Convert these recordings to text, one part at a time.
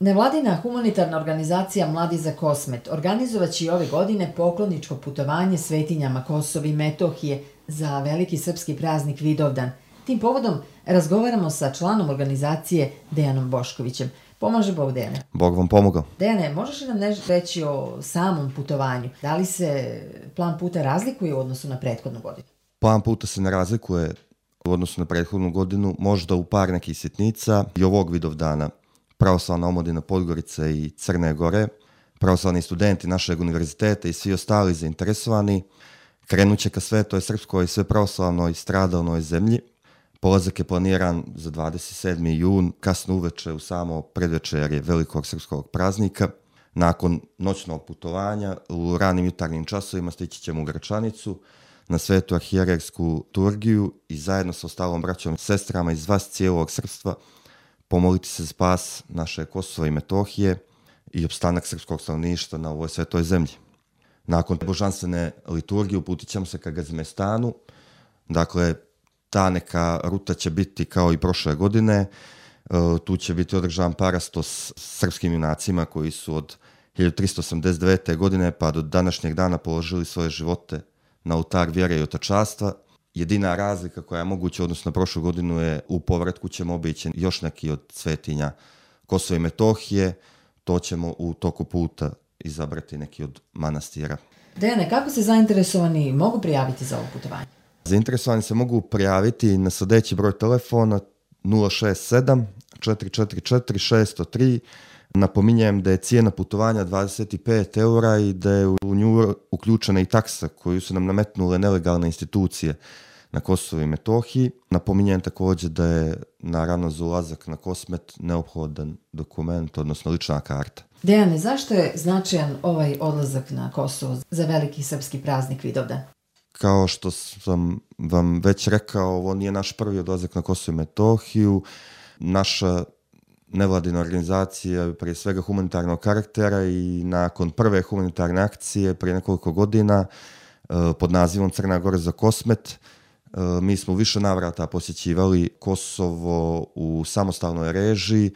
Nevladina humanitarna organizacija Mladi za Kosmet organizovaće i ove godine pokloničko putovanje svetinjama Kosova i Metohije za veliki srpski praznik Vidovdan. Tim povodom razgovaramo sa članom organizacije Dejanom Boškovićem. Pomaže Bog, Dejane. Bog vam pomogao. Dejane, možeš li nam nešto reći o samom putovanju? Da li se plan puta razlikuje u odnosu na prethodnu godinu? Plan puta se ne razlikuje u odnosu na prethodnu godinu, možda u par nekih sitnica. I ovog Vidovdana Pravoslavna omladina Podgorice i Crne Gore, pravoslavni studenti našeg univerziteta i svi ostali zainteresovani krenut će ka Svetoj Srpskoj sve pravoslavnoj stradalnoj zemlji. Polazak je planiran za 27. jun, kasno uveče u samo predvečerje velikog srpskog praznika. Nakon noćnog putovanja u ranim jutarnjim časovima stići ćemo u Gračanicu na Svetu arhijerejsku liturgiju i zajedno sa ostalom braćom i sestrama iz vas cijelog srpstva pomoliti se za spas naše Kosova i Metohije i opstanak srpskog stanovništva na ovoj svetoj zemlji. Nakon božanstvene liturgije uputit ćemo se ka Gazmestanu. Dakle, ta ruta će biti kao i prošle godine. Tu će biti održan parastos srpskim junacima koji su od 1389. godine pa do današnjeg dana položili svoje živote na oltar vjere i otačastva. Jedina razlika koja je moguća odnosno na prošlu godinu je u povratku ćemo obići još neki od svetinja Kosova i Metohije. To ćemo u toku puta izabrati neki od manastira. Dejane, kako se zainteresovani mogu prijaviti za ovo putovanje? Zainteresovani se mogu prijaviti na sljedeći broj telefona 067 444 603. Napominjem da je cijena putovanja 25 eura i da je u nju uključena i taksa koju su nam nametnule nelegalne institucije na Kosovu i Metohiji. Napominjem također da je naravno za ulazak na Kosmet neophodan dokument, odnosno lična karta. Dejane, zašto je značajan ovaj odlazak na Kosovo za veliki srpski praznik Vidovdan? Kao što sam vam već rekao, ovo nije naš prvi odlazak na Kosovo i Metohiju. Naša nevladina organizacija je prije svega humanitarnog karaktera i nakon prve humanitarne akcije prije nekoliko godina pod nazivom Crna Gora za Kosmet mi smo više navrata posjećivali Kosovo u samostalnoj režiji.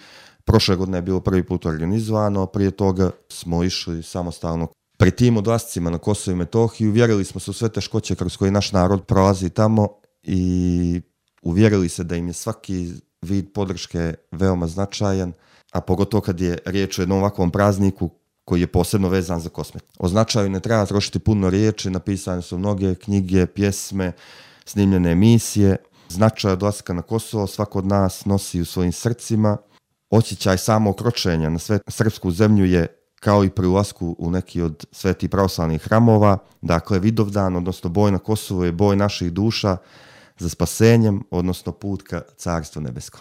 Prošle godine je bilo prvi put organizovano, prije toga smo išli samostalno. Pri tim odlascima na Kosovo i Metohiju uvjerili smo se u sve teškoće kroz koje naš narod prolazi tamo i uvjerili se da im je svaki vid podrške veoma značajan, a pogotovo kad je riječ o jednom ovakvom prazniku koji je posebno vezan za Kosmet. O značaju ne treba trošiti puno riječi, napisane su mnoge knjige, pjesme, snimljene emisije. Značaj odlaska na Kosovo svako od nas nosi u svojim srcima. Osjećaj samog kročenja na srpsku zemlju je kao i pri ulasku u neki od svetih pravoslavnih hramova. Dakle, Vidovdan, odnosno boj na Kosovu je boj naših duša za spasenjem, odnosno put ka Carstvu nebeskom.